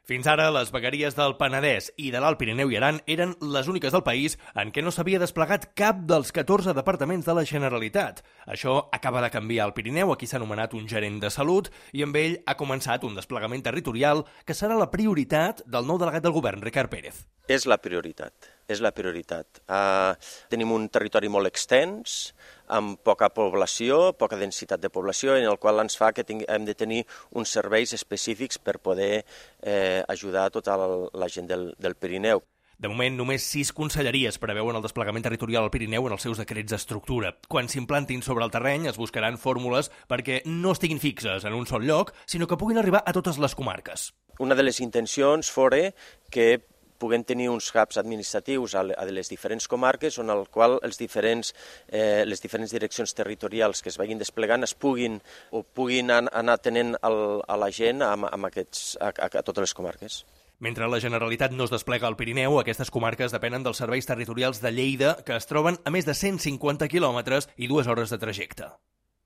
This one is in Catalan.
Fins ara, les vegueries del Penedès i de l'Alt Pirineu i Aran eren les úniques del país en què no s'havia desplegat cap dels 14 departaments de la Generalitat. Això acaba de canviar al Pirineu, aquí s'ha nomenat un gerent de salut, i amb ell ha començat un desplegament territorial que serà la prioritat del nou delegat del govern, Ricard Pérez. És la prioritat. Tenim un territori molt extens, amb poca població, poca densitat de població, en el qual ens fa que hem de tenir uns serveis específics per poder ajudar a tota la gent del Pirineu. De moment, només 6 conselleries preveuen el desplegament territorial al Pirineu en els seus decrets d'estructura. Quan s'implantin sobre el terreny es buscaran fórmules perquè no estiguin fixes en un sol lloc, sinó que puguin arribar a totes les comarques. Una de les intencions fora que puguem tenir uns hubs administratius a les diferents comarques on el qual les diferents direccions territorials que es vagin desplegant puguin anar atenent a la gent a totes les comarques. Mentre la Generalitat no es desplega al Pirineu, aquestes comarques depenen dels serveis territorials de Lleida, que es troben a més de 150 quilòmetres i 2 hores de trajecte.